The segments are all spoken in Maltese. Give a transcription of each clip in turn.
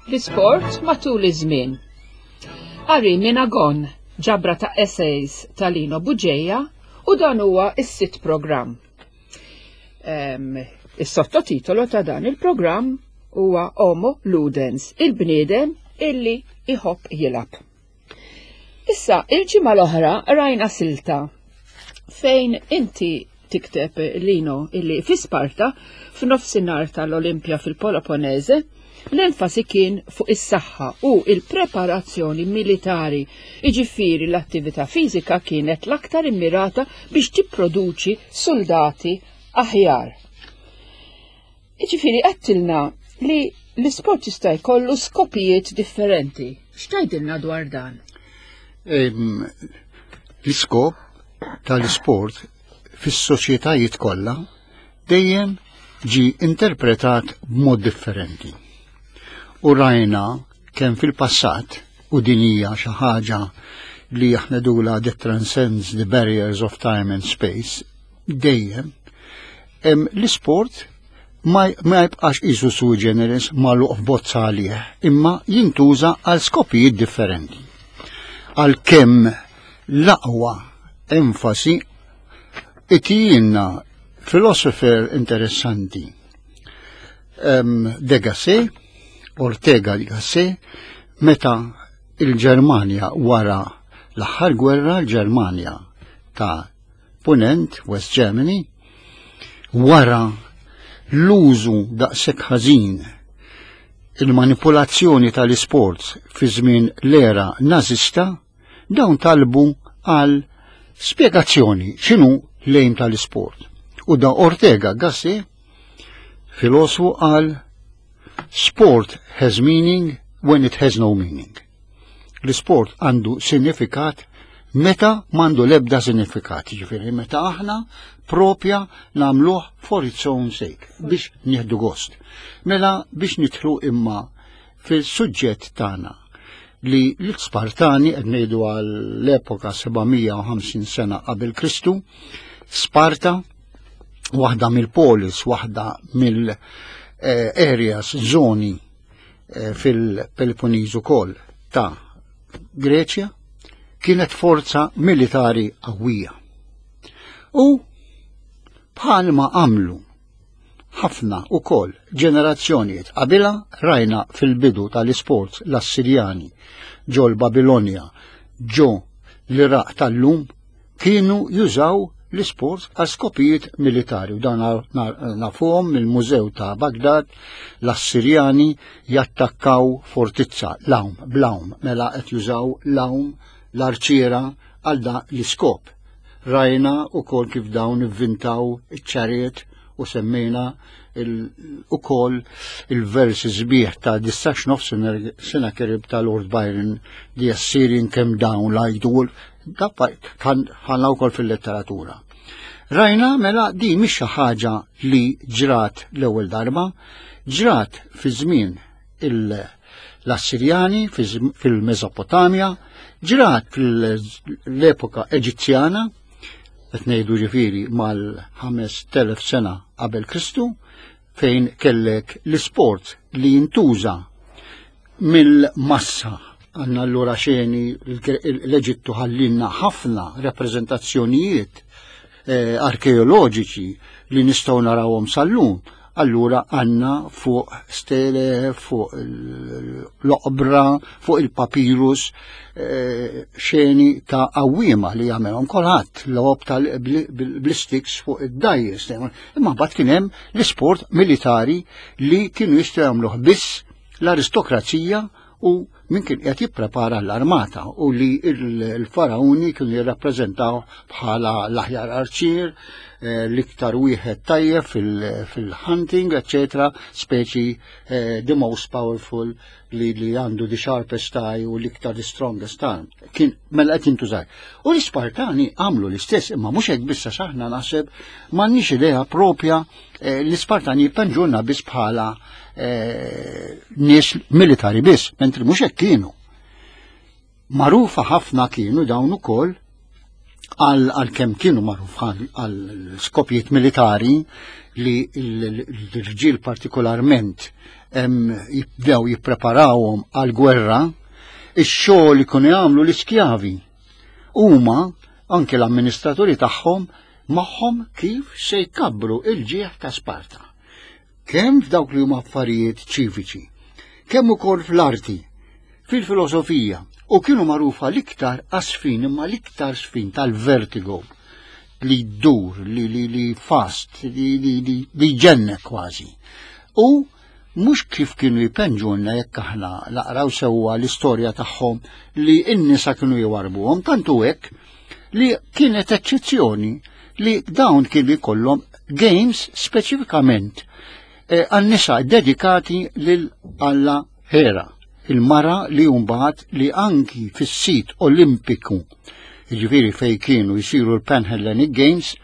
L-isport matul iż-żmien. Qari minn Agon, ġabra ta' essays ta' Lino Bugeja u dan huwa s-sitt programm. Is-sottotitolo ta' dan il-programm huwa Homo Ludens, il-bniedem illi iħobb jilgħab. Issa, il-ġimgħa l-oħra rajna silta fejn inti tikteb Lino illi fi Sparta f'nofsinhar tal-Olimpja fil-Peloponese l-enfasi kien fuq is-saħħa u il-preparazzjoni militari. Iġifieri l-attività fiżika kienet l-aktar immirata biex tipproduċi soldati aħjar. Jiġifieri għedtilna li l-isport jista' jkollu skopijiet differenti. X'tgħidilna dwar dan? L-iskop tal-isport fis-soċjetajiet kollha dejjem ġi interpretat b'mod differenti. U rajna kemm fil-passat u din hija xi ħaġa li aħna dula that transcends the barriers of time and space, dejjem l-isport ma jibqax isu sui generis magħluq f'bozza għalih, imma jintuża għal skopijiet differenti. Għalkemm l-aqwa enfasi itijinna filosofer interessanti de Gasset, Ortega de Gasset, meta il-Ġermanja wara l-aħħar gwerra l-Ġermanja ta' Punent, West Germany, wara l-użu daqshekk ħażin il-manipulazzjoni tal-isports fi żmien l-era nażista, dawn talbu għal spjegazzjoni x'inhu l-aim tal-isport. U da Ortega Gasset, filosfu qal sport has meaning when it has no meaning. L-isport għandu sinifikat meta m'għandu l-ebda sinifikat, ġifieri meta aħna propja nagħmluh for its own sake biex nieħdu gost. Mela biex nidħlu imma fil-suġġett tagħna li l-Spartani qed ngħidu għall-epoka 750 sena qabel Kristu, Sparta waħda mill-polis, waħda mill-areas, eh, zoni eh, fil-Peloponnese ukoll ta' Greċja kienet forza militari qawwija. U bħalma għamlu ħafna ukoll ġenerazzjonijiet qabilha rajna fil-bidu tal-isports l-Assirjani ġol Babilonja ġo l-Iraq tal-lum kienu jużaw l-isport għal skopijiet militari u dan nafuhom mill-Mużew ta' Bagdad l-Assirjani jattakkaw fortizza l-għawm bl-għawm mela qed jużaw l-għawm l-arċiera għal da l-iskop. Rajna ukoll kif dawn ivvintaw iċ-chariot u semmejna ukoll il-versi sbieħ ta' Distax nofs Sennacherib ta' Lord Byron The Assyrian came down like the wolf ħanna wkoll fil-letteratura. Rajna mela di mhix xi ħaġa li ġrat l-ewwel darba, ġrat fi żmien l-Assirjani fil-Mesopotamja, ġrat fil-epoka Eġizzjana, qed ngħidu ġifieri mal-5000 sena qabel Kristu, fejn kellek l-isport li jintuża mill-massa għanna allura xeni l-Eġittu ħallinna ħafna rappreżentazzjonijiet eh, arkeoloġiċi li nistgħu narawhom sal-lum. Allura għanna fuq stele, fuq l-oqbra, fuq il-papirus, eh, xeni ta' għawwiema li jagħmelhom kulħadd logħob tal-blistiks fuq id-dajjes. Imma mbagħad kien hemm l-isport militari li kienu jistgħu jagħmluh biss l-aristokrazija u min kien qed jipprepara l-armata u li l-farauni kienu jirrappreżentaw bħala l-aħjar arċier, eh, l-iktar wieħed tajjeb fil-hunting, eccetera, speċi eh, the most powerful li li għandu the sharpest eye u l-iktar the strongest arm. Kien mela qed jintużar. U l-Ispartani għamlu l-istess, imma mhux hekk biss għax aħna naħseb m'għandniex idea propja eh, l-Ispartani jippenġulna biss bħala eh, nies militari biss, mentri mhux hekk kienu. Magħrufa ħafna kienu dawn ukoll Għal kemm kienu magħruf għal skopijiet militari li l-irġiel partikolarment jibdew jippreparawhom għal gwerra, ix-xogħol ikunu jagħmlu l-iskjavi. Huma anke l-amministraturi tagħhom magħhom kif se jkabbru il-ġieħ ta' Sparta. Kemm f'dawk li huma affarijiet ċiviċi, kemm ukoll fl-arti, fil-filosofija, u kienu magħrufa l-iktar għas-sfin imma l-iktar sfin tal-vertigo li ddur, li, li, li fast, li, li, li, li ġennek kważi. U mhux kif kienu jpenġulna jekk aħna naqraw sewwa l-istorja tagħhom li n-nisa kienu jwarbuhom, tantu hekk li kienet eċċezzjoni li dawn kienu jkollhom games speċifikament eh, għan-nisa dedikati lil Alla Hera, il-mara li mbagħad li anki fis-sit Olimpiku, jiġifieri fejn kienu jsiru l-Pan-Hellenic Games,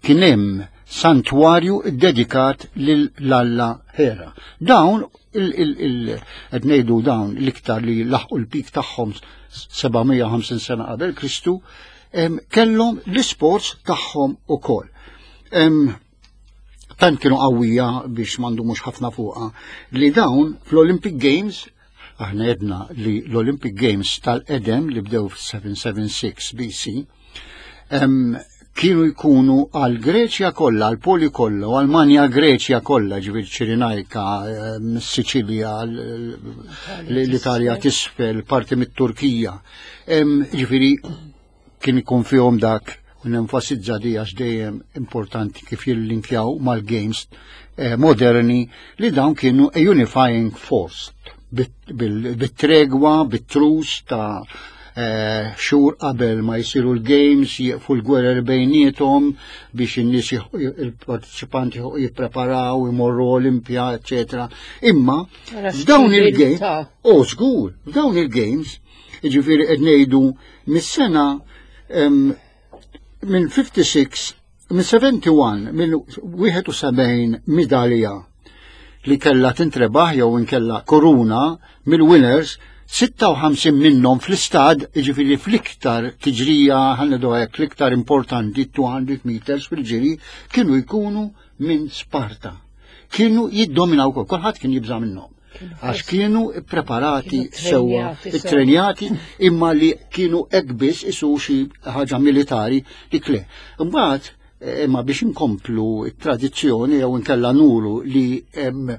kien hemm santwarju dedikat lil Alla Hera. Dawn qed ngħidu dawn l-iktar li laħqu l-pik tagħhom 750 sena qabel Kristu, kellhom l-isports tagħhom ukoll. Tant kienu qawwija biex m'għandhomux ħafna fuqha li dawn fl-Olympic Games aħna jedna li l-Olympic Games tal-qedem li bdew f-776 BC kienu jkunu għal Greċja kollha, għal Poli kollha, u għal Manja Greċja kollha, ġifieri Ċirinajka, Siċilja, l-Italja tisfel, parti mit-Turkija. Ġifieri kien ikun fihom dak u nenfasizza di għax dejjem importanti kif jillinkjaw mal-games eh, moderni li dawn kienu a unifying force bit-tregwa, bit-trus ta' eh, xhur qabel ma jsiru l-games, jieqfu l-gwerer bejniethom biex in-nies il-partiċipanti jippreparaw, imorru Olimpja, eċetera. Imma f'dawn il-games, oh żgur, f'dawn il-games, jiġifieri qed ngħidu mis-sena minn 56, minn 71, minn 71 midalja li kella tintrebaħ jew inkella koruna mill-winners 56 minnhom fl-istad, jiġifieri fl-iktar tiġrija ħannedu hekk l-iktar importanti 200 meters fil-ġiri kienu jkunu minn Sparta. Kienu jiddominaw kol, kulħadd kien jibża' minnhom. Għax kienu preparati sewwa, ittrenjati, imma li kienu hekk biss isu xi ħaġa militari li kle. Imbagħad eh, imma biex inkomplu t-tradizzjoni jew inkella nuru li hemm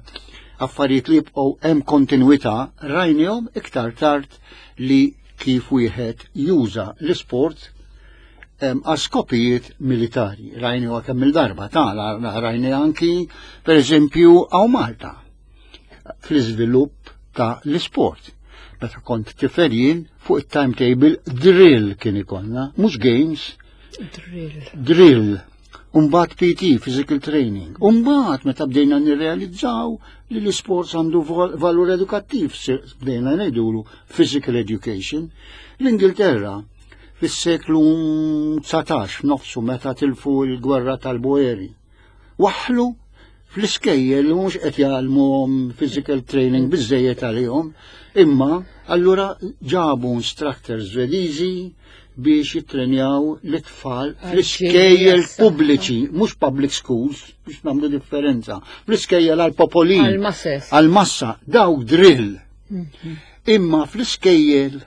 affarijiet li jibqgħu hemm kontinwità, rajnihom iktar tard li kif wieħed juża l-isport għal skopijiet militari. Rajni kemm il-darba ta' rajni anki per eżempju għaw Malta fl-iżvilupp ta' l-isport. Meta kont tifel jien fuq it-timetable drill kien ikollna, mhux games. Drill. Drill. Umbat PT, physical training. Umbat meta bdejna nirrealizzaw li l-isports għandu valur edukattiv, bdejna ngħidulu physical education. L-Ingilterra fis-seklu 19 nofsu meta tilfu l-gwerra tal-Boeri. Waħlu fl-iskejjel li mhux qed jgħallmuhom physical training biżejjed għalihom, imma allura ġabu instructors Svediżi biex jittrenjaw l-itfal fl-iskejjel pubbliċi, mhux public schools, biex nagħmlu differenza, fl-iskejjel għal-popolin. Għal-massa, dawk drill. Mhm. Imma fl-iskejjel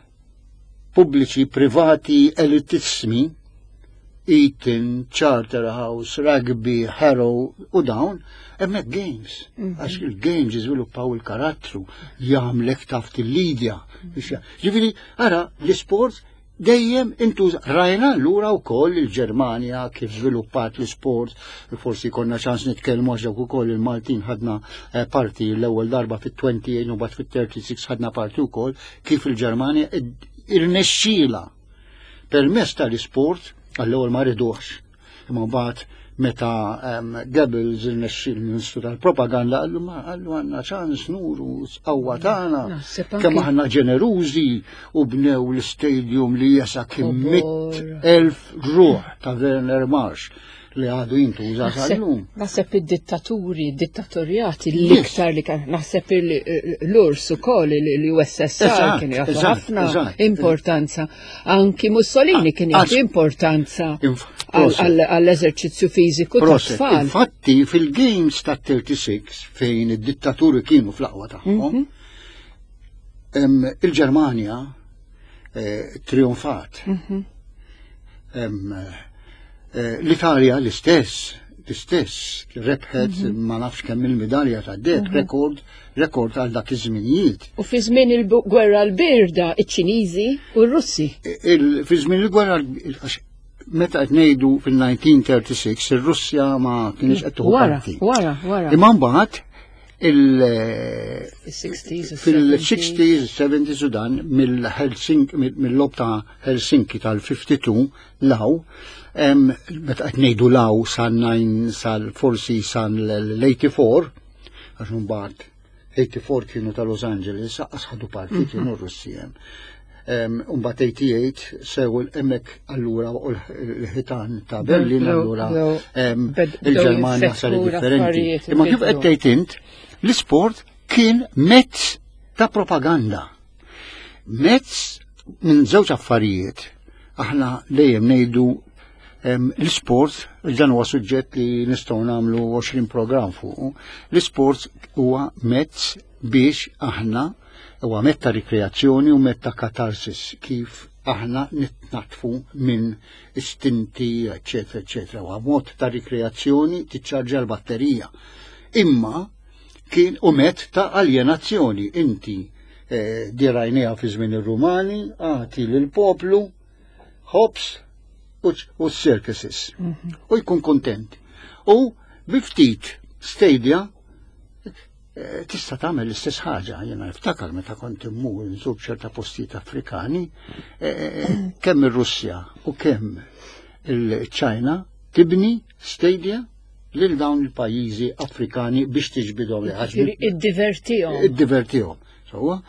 pubbliċi, privati, elitissimi, Eton, Charterhouse, Rugby, Harrow u dawn, hemmhekk games. Mhm. Għax il-games jiżviluppaw il-karattru, jagħmlek taf il-lidja. Mhm. Ġifieri, ara, l-isport dejjem intuż rajna lura wkoll il-Ġermanja kif żviluppat l-isport, forsi konna ċans nitkellmu għax dawk ukoll il-Maltin ħadna eh, parti l-ewwel darba fit-28 u bat fit-36 ħadna parti wkoll kif il-Ġermanja irnexxiela permezz tal-isport għall-ewwel ma riduhx. Imma mbagħad meta Goebbels irnexxi l-Ministru tal-Propaganda qallu ma qallu għandna ċans nuru s-qawwa tagħna kemm aħna ġenerużi u bnew l-istadium li jesa kien elf ruħ ta' Werner Marsh. li għadu jintuża sal-lum. Naħseb id-dittaturi, dittatorjati l-iktar li kan, naħseb l-urs ukoll l-USSR kien jagħtu ħafna importanza. Anki Mussolini kien jagħti importanza għall-eżerċizzju fiżiku tat-tfal. Infatti fil-Games ta' 36 fejn id-dittaturi kienu fl-aqwa tagħhom, mhm. il-Ġermanja eh, trionfat. Mhm. Eh, L-Italja l-istess, l-istess, rebħet mhm. ma nafx kemm il-medalja ta' deb, mhm. rekord, rekord għal dak iż-żminijiet. U fi żmien il-gwerra l-birda, iċ-Ċiniżi u r-Russi. Fi żmien il-gwerra meta qed ngħidu fil-1936 ir-Russja ma kienx qed tieħu parti. Wara, wara. Imma mbagħad il-60s, 70s u dan mill-Helsinki, mill-lob ta' Helsinki tal-52 law, meta qed ngħidu law sa 9 sal forsi san l-84, għax mbagħad 84 kienu ta' Los Angeles, għas ħadu parti mhm. kienu Russi hemm. Umbat 88 sew hemmhekk allura u l-ħitan ta' Berlin allura il-Ġermanja sar differenti. Imma kif qed tgħid int, l-isport kien mezz ta' propaganda. Mezz minn żewġ affarijiet. Aħna dejjem ngħidu l-isport, dan huwa suġġett li nistgħu nagħmlu 20 programm fuq, l-isport huwa mezz biex aħna Huwa mezz ta' rikreazzjoni u mezz ta' katarsis kif aħna nitnatfu minn istinti, eċetera, eċetera. Huwa mod ta' rikreazzjoni tiċċarġa l-batterija. Imma kien u mezz ta' aljenazzjoni. Inti eh, dirajnija fi żmien ir-Rumani, agħti lill-poplu ħobs u circuses. Mhm. U jkun kontent. U bi ftit stadia Eh, tista' tagħmel l-istess ħaġa, jiena niftakar meta kont immur nżur ċerta postijiet Afrikani, eh, eh, kemm ir-Russja u kemm il-Ċajna tibni stadia lil dawn il-pajjiżi Afrikani biex tiġbidhom li ħaġa. Iddivertihom. Iddivertihom. Sewwa.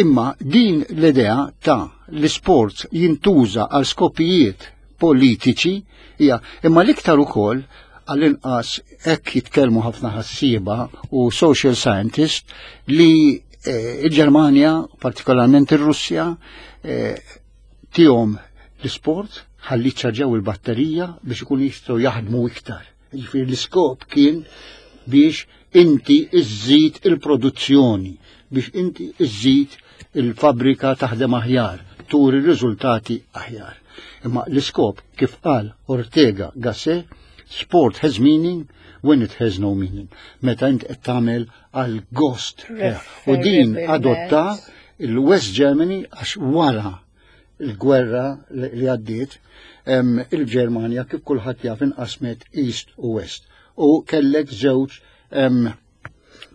Imma din l-idea ta' l-isport jintuża għal skopijiet politiċi hija imma l-iktar ukoll għall-inqas hekk jitkellmu ħafna ħassieba u social scientist li eh, il-Ġermanja, partikolarment ir-Russja, eh, tihom l-isport ħalli ċarġaw il-batterija biex ikun jistgħu jaħdmu iktar. Jiġifieri l-iskop kien biex inti iżżid il-produzzjoni, biex inti iżżid il-fabbrika taħdem aħjar, turi riżultati aħjar. Imma l-iskop kif qal Ortega Gasset, sport has meaning when it has no meaning. Meta int qed tagħmel għal gost. U din adotta il-West Germany għax wara il-gwerra li għaddiet, il-Ġermanja kif kulħadd jaf inqasmet East u West u kellek żewġ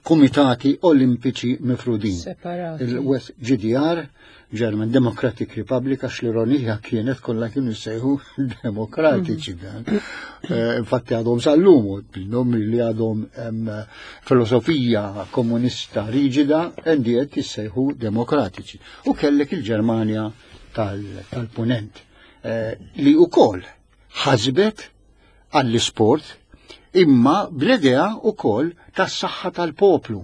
kumitati olimpiċi mifrudin. Il-West GDR, German Democratic Republic, għax l-ironija kienet kollha kienu jsejħu demokratiċi mm. dan. Eh, infatti għadhom sal-lum, minnhom li għadhom filosofija komunista riġida, endiet jissejħu demokratiċi. U kellek il-Ġermanja tal-punent eh, li wkoll ħasbet għall-isport imma bl-idea wkoll tas-saħħa tal-poplu.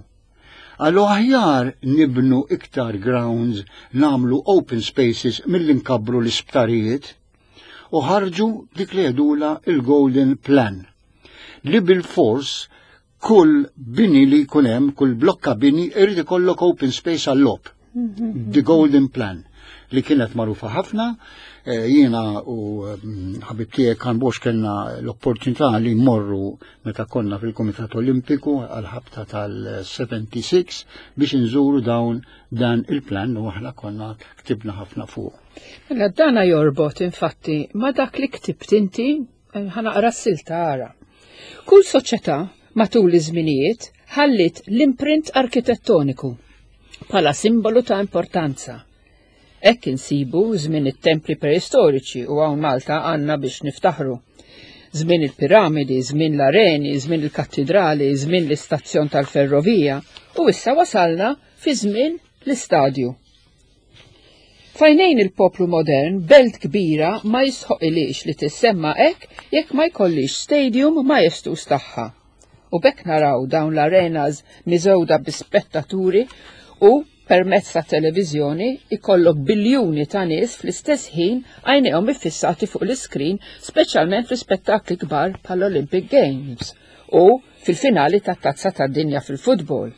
Għallu aħjar nibnu iktar grounds, namlu open spaces mill nkabbru l-isptarijiet u ħarġu dik li jgħidula il-Golden Plan li bil-fors kull bini li jkun hemm, kull blokka bini irid ikollok open space għall-logħob. The Golden Plan li kienet magħrufa ħafna, eh, jiena u mm, ħabib tiegħek kan box kellna l-opportunità li mmorru meta konna fil-Kumitat Olimpiku għal-ħabta tal-76 biex inżuru dawn dan il-plan u aħna konna ktibna ħafna fuq. Mela dana jorbot infatti ma dak li ktibt inti ħanaqra s-silta ara. Kull soċjetà matul iż-żminijiet ħalliet l-imprint arkitettoniku bħala simbolu ta' importanza. Hekk insibu żmien it-templi preistoriċi u hawn Malta għandna biex niftaħru. Żmien il-piramidi, żmien l-areni, żmien il-kattidrali, żmien l-istazzjon tal-ferrovija u issa wasalna fi żmien l-istadju. Fajnejn il-poplu modern, belt kbira ma jisħoqilix li tissemma hekk jekk ma jkollix stadium majestuż tagħha. U b'hekk naraw dawn l-arenas miżewda bi spettaturi u permezz ta' televiżjoni ikollok biljuni ta' nies fl-istess ħin għajnejhom iffissati fuq l-iskrin, speċjalment fi spettakli kbar bħall-Olympic Games u fil-finali tat-Tazza tad-Dinja fil-futbol.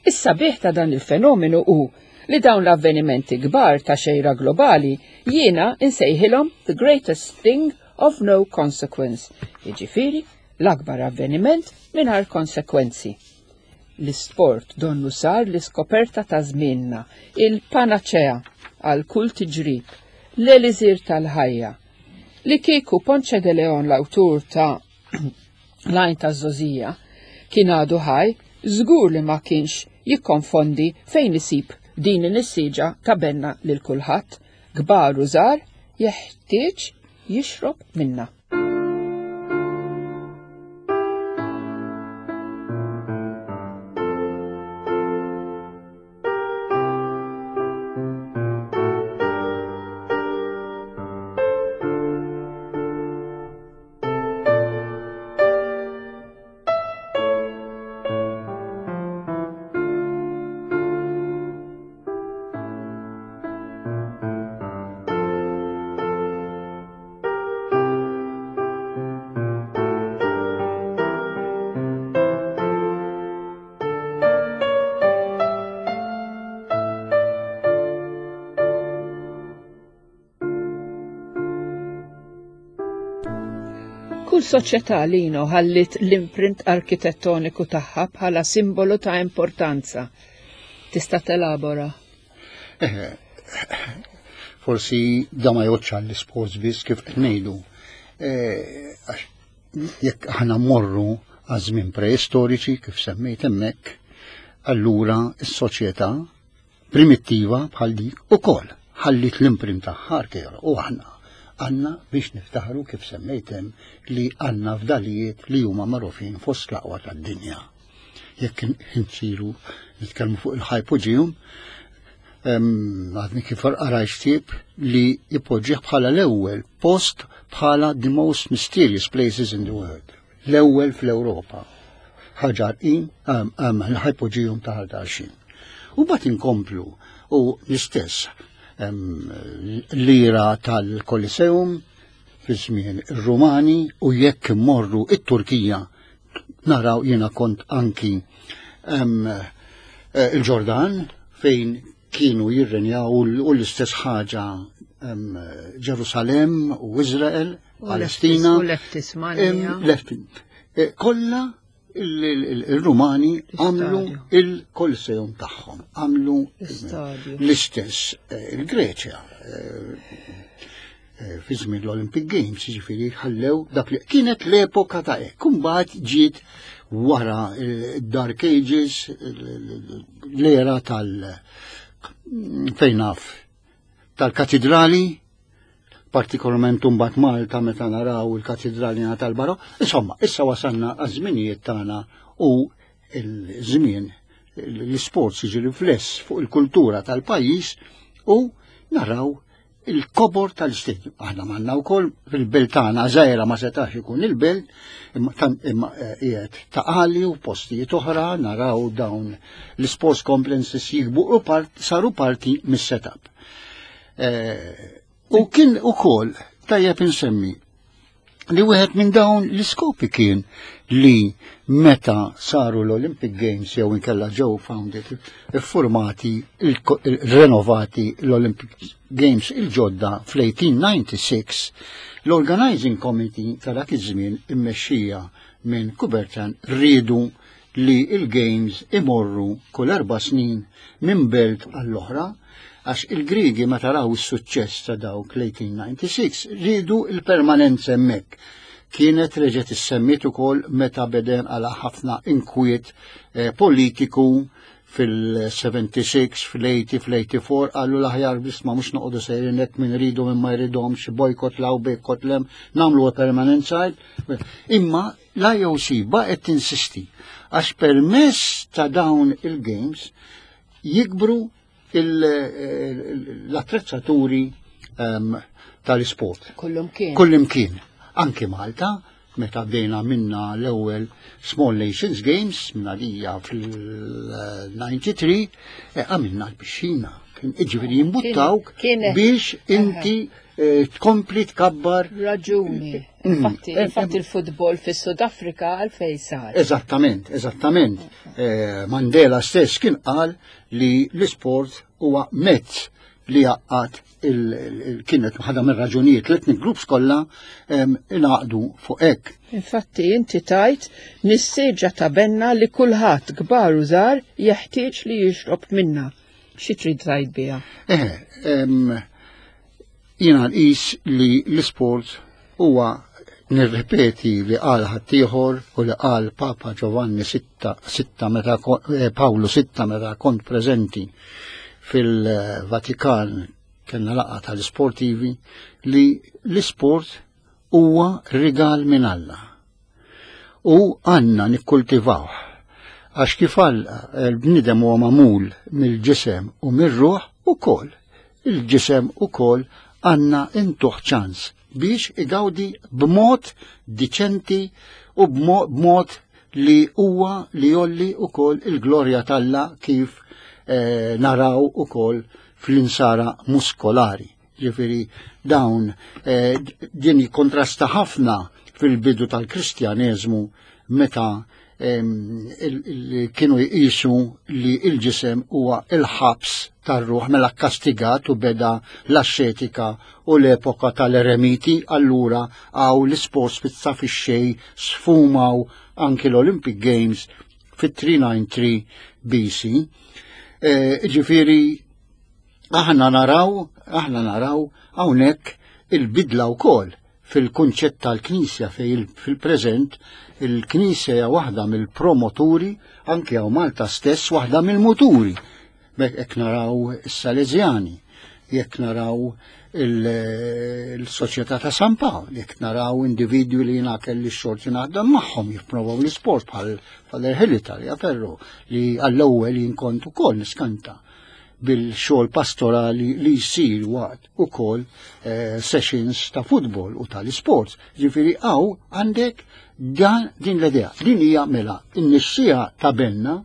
Is-sabiħ ta' dan il-fenomenu hu li dawn l-avvenimenti kbar ta' xejra globali jiena insejħilhom the greatest thing of no consequence, jiġifieri l-akbar avveniment mingħajr konsekwenzi. L-isport donnu sar l-iskoperta ta' żmienna, il-panaċea għal kull tiġrib, l-eliżir tal-ħajja. Li kieku Ponce de Leon l-awtur ta' L-għajn taż-żgħożija kien għadu ħaj, żgur li ma kienx jikkonfondi fejn isib din in-nissieġa ta' benna lil kulħadd, kbar u żgħar, jeħtieġ jixrob minnha. Kull soċjetà lino ħalliet l-imprint arkitettoniku tagħha bħala simbolu ta' importanza. Tista' telabora? Eh, forsi da ma jgħodx għall-isports biss kif qed ngħidu. Eh, jekk aħna mmorru għaż-żmien preistoriċi kif semmejt hemmhekk, allura s-soċjetà primittiva bħal dik ukoll ħallit l-imprint tagħha arkeo u aħna għandna biex niftaħru kif semmejt hemm li għandna fdalijiet li huma magħrufin fost l-aqwa tad-dinja. Jekk insiru nitkellmu fuq il-hypogeum, għadni kif qarajt ktieb li jpoġġih bħala l-ewwel post bħala the most mysterious places in the world. L-ewwel fl-Ewropa. Ħaġar in l-hypogeum ta' Ħal Tarxien. U bat inkomplu u l-istess l-ira tal-Koliseum fi żmien ir-Rumani u jekk immorru it-Turkija naraw jiena kont anki eh, il-Ġordan fejn kienu jirrenjaw u l-istess ħaġa Ġerusalem u Izrael, Palestina. U l-Eftismanja. Eh, kollha il-Rumani għamlu il-Kolseum tagħhom, għamlu l-istess eh, il-Greċja eh, fi żmien l-Olympic Games, jiġifieri ħallew dak li kienet l-epoka ta' hekk. Imbagħad ġiet wara Dark Ages, l-era tal fejn naf tal-katidrali, partikolarment imbagħad Malta meta naraw il-katidrali tal-Baro. Insomma, issa wasalna għaż-żminijiet tagħna u l-żmien l-isports jiġi rifless fuq il-kultura tal-pajjiż u naraw il-kobor tal-istadium. Aħna manna wkoll fil-belt tagħna żgħira ma setax ikun il-belt, imma eh, qiegħed ta' għali u postijiet oħra naraw dawn l-sports complexes jikbu u part, saru parti mis-setup. Eh, u kien ukoll tajjeb insemmi li wieħed minn dawn l-iskopi kien li meta saru l-Olympic Games jew inkella ġew founded iffurmati renovati l-Olympic Games il-ġodda fl-1896 l-Organizing Committee ta' dak iż-żmien immexxija minn Coubertin riedu li il-Games imorru kull erba' snin minn belt għall-oħra għax il-Griegi meta raw is-suċċess ta' dawk l-1896 riedu il-permanenza hemmhekk. Kienet reġgħet issemmiet ukoll meta beden għala ħafna inkwiet eh, politiku fil-76, fil-80, fil-84, għallu l-aħjar biss ma mux noqogħdu sejrin hekk min ridu minn ma jridhomx, bojkot law bojkot lem, nagħmlu permanent side. Imma l-IOC baqgħet tinsisti għax permess ta' dawn il-games jikbru l-attrezzaturi tal-isport. Kullimkien. Kullimkien. Anki Malta, meta bdejna minna l-ewwel Small Nations Games minna lija fil-93, għamilna l-pixxina. Ġifieri jimbuttawk biex inti tkompli tkabbar. Raġuni. Infatti il-futbol fis-Sud Afrika għalfejn sar. Eżattament, eżattament. Mandela stess kien qal li l-isport huwa mezz li jgħaqqad kienet waħda mir-raġunijiet l-ethnic groups kollha ingħaqdu fuq hekk. Infatti inti tajt nissieġa ta' benna li kulħadd kbar u żgħar jeħtieġ li jixrob minna. Xi trid tgħid biha? Jiena nqis li l-isport huwa nirrepeti li qal ħaddieħor u li qal Papa Giovanni sitta meta Pawlu sitta meta kont preżenti fil-Vatikan kellna laqgħa tal-isportivi li l-isport huwa rigal minn Alla. U għandna nikkultivawh. Għax kif Alla l-bniedem huwa magħmul mill-ġisem u mir-ruħ ukoll. Il-ġisem ukoll għandna intuh ċans biex igawdi b'mod diċenti u b'mod li huwa li jolli ukoll il-glorja t'Alla kif naraw ukoll fl-insara muskolari. Ġifieri dawn din jikkontrasta ħafna fil-bidu tal-Kristjaneżmu meta kienu jqisu li l-ġisem huwa il-ħabs tar-ruħ mela kkastigat u beda l-axxetika u l-epoka tal-eremiti, allura għaw l-isports pizza fix-xej sfumaw anki l-Olympic Games fit-393 BC. Ġifieri aħna naraw hawnhekk il-bidla wkoll fil-kunċett tal-Knisja fej fil-preżent il-Knisja hija waħda mill-promoturi anke hawn Malta stess waħda mill-muturi. Jekk naraw is-Salesjani, jekk naraw il-Soċjetà ta' San Pawl, jekk naraw individwi li jiena kelli x-xorti naħdem magħhom jipprovaw l-isport bħal Father Hilli Tagliaferro li għall-ewwel jien kont ukoll niskanta bil-xogħol pastorali li jsir waqt ukoll sessions ta' futbol u tal-isports. Ġifieri hawn għandek dan din l-idea. Din hija mela n-nixxija ta' benna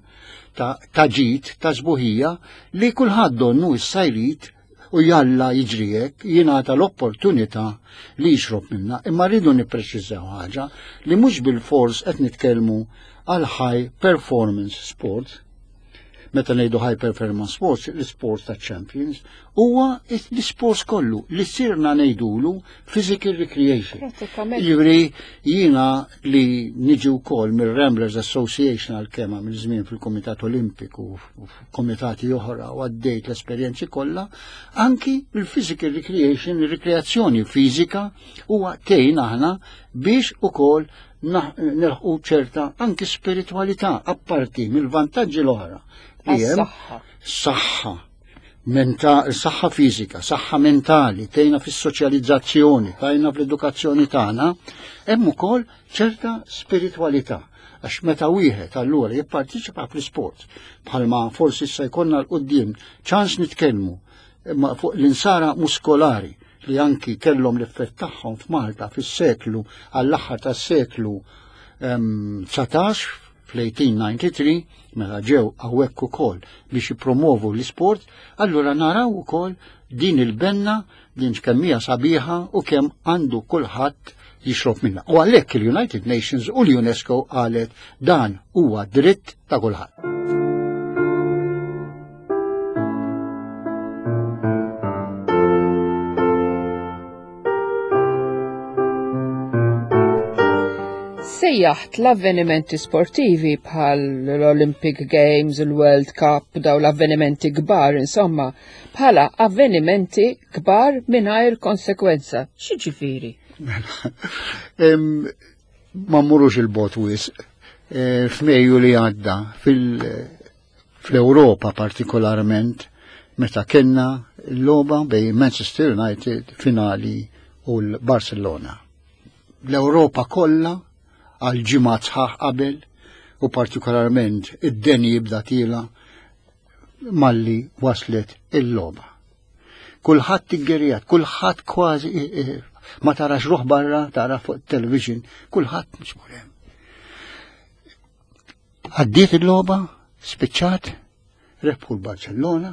ta' ġid, ta' sbuħija li kulħadd donnu issa jrid u jalla jiġri hekk jingħata l-opportunità li jixrob minna. Imma rridu nippreċiżaw ħaġa li mhux bil-fors qed nitkellmu għal high performance sport. Meta ngħidu high performance sports, l-sports ta' champions, huwa l-sports kollu li sirna ngħidulu physical recreation. Pratikament. Jiġifieri jiena li niġi wkoll mir-Ramblers Association għal kemm għamil żmien fil-Kumitat Olimpiku u f'komitati oħra u għaddejt l-esperjenzi kollha, anki il-physical recreation, il-rekreazzjoni fiżika huwa tgħin aħna biex ukoll nilħqu ċerta anki spiritualità apparti mill-vantaġġi l-oħra li hemm. Għas-saħħa. Saħħa, saħħa fiżika, saħħa mentali, tgħinna fis-soċjalizzazzjoni, tgħinna fl-edukazzjoni tagħna, hemm ukoll ċerta spiritualità. Għax meta wieħed allura jipparteċipa fl-isport, bħalma forsi issa jkollna l-quddiem ċans nitkellmu imma fuq l-insara muskolari li anki kellhom l-effett tagħhom f'Malta fis-seklu għall-aħħar tas-seklu 19 fl-1893 meta ġew hawnhekk ukoll biex jippromovu l-isport, allura naraw ukoll din il-benna din kemm hija sabiħa u kemm għandu kulħadd jixrob minnha. U għalhekk il-United Nations u l-UNESCO qalet dan huwa dritt ta' kulħadd. Sejjaħt l-avvenimenti sportivi bħal l-Olympic Games, il-World Cup, daw l-avvenimenti kbar, insomma, bħala avvenimenti kbar mingħajr konsekwenza. X'jiġifieri? Ma mmurux il-bot wisq. F'Mejju li għadda fl-Ewropa partikolarment meta kellna l-logħba bejn Manchester United finali u l-Barcelona. L-Ewropa kollha għal ġimgħat sħaħ qabel u partikolarment id-deni jibda tila. malli waslet il-logħba. Kulħadd iggerjat, kulħadd kważi ma tarax ruħ barra, tara fuq television, kulħadd miġbur hemm. Għaddiet il-logħba, spiċċat, rebħu l-Barcellona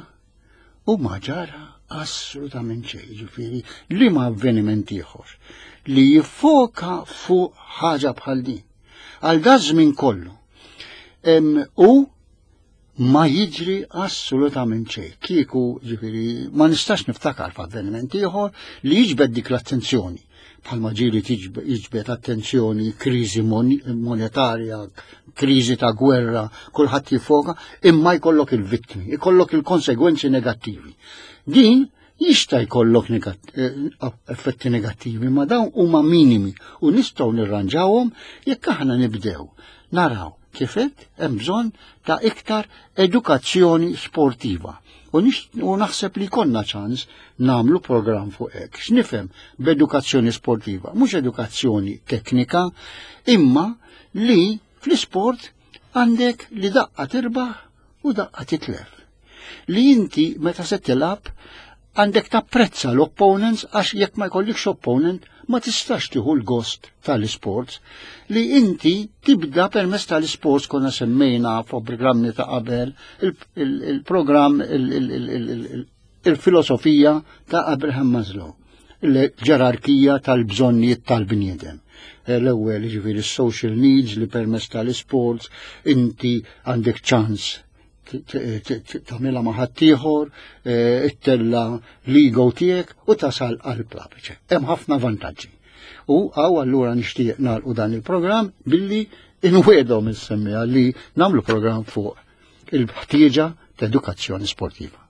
u ma ġara assolutament xejn, ġifieri li ma avveniment ieħor li jiffoka fuq ħaġa bħal din. Għal dażmin kollu. U ma jiġri assolutament xejn. Kieku, ġifieri, ma nistax niftakar f'avveniment ieħor li jiġbed dik l-attenzjoni. Bħalma ġieli jiġbed attenzjoni kriżi monetarja, kriżi ta' gwerra, kulħadd jifoka, imma jkollok il-vittmi, jkollok il-konsegwenzi negattivi. Din jista' jkollok effetti negattivi, ma dawn huma minimi u nistgħu nirranġawhom jekk aħna nibdew naraw kif għedt hemm bżonn ta' iktar edukazzjoni sportiva. U, u naħseb li konna ċans namlu program fuq hekk. X'nifhem b'edukazzjoni sportiva? Mhux edukazzjoni teknika, imma li fl-isport għandek li daqqa tirbaħ u daqqa titlef. Li inti meta se tilgħab għandek tapprezza l-opponents għax jekk ma jkollikx opponent ma tistax tieħu l-gost tal-isports li inti tibda permezz tal-isports konna semmejna fuq programmi ta' qabel il-programm il-filosofija ta' Abraham Maslow il-ġerarkija tal-bżonnijiet tal-bniedem. L-ewwel ġifieri social needs li permezz tal-isports inti għandek ċans tagħmilha ma' ħaddieħor, eh, ittella l-ego tiegħek u tasal għal plapiċe. Hemm ħafna vantaġġi. U għaw allura nixtieq nagħlqu dan il-programm billi inwedhom is-semmija li nagħmlu programm fuq il-ħtieġa ta' edukazzjoni sportiva.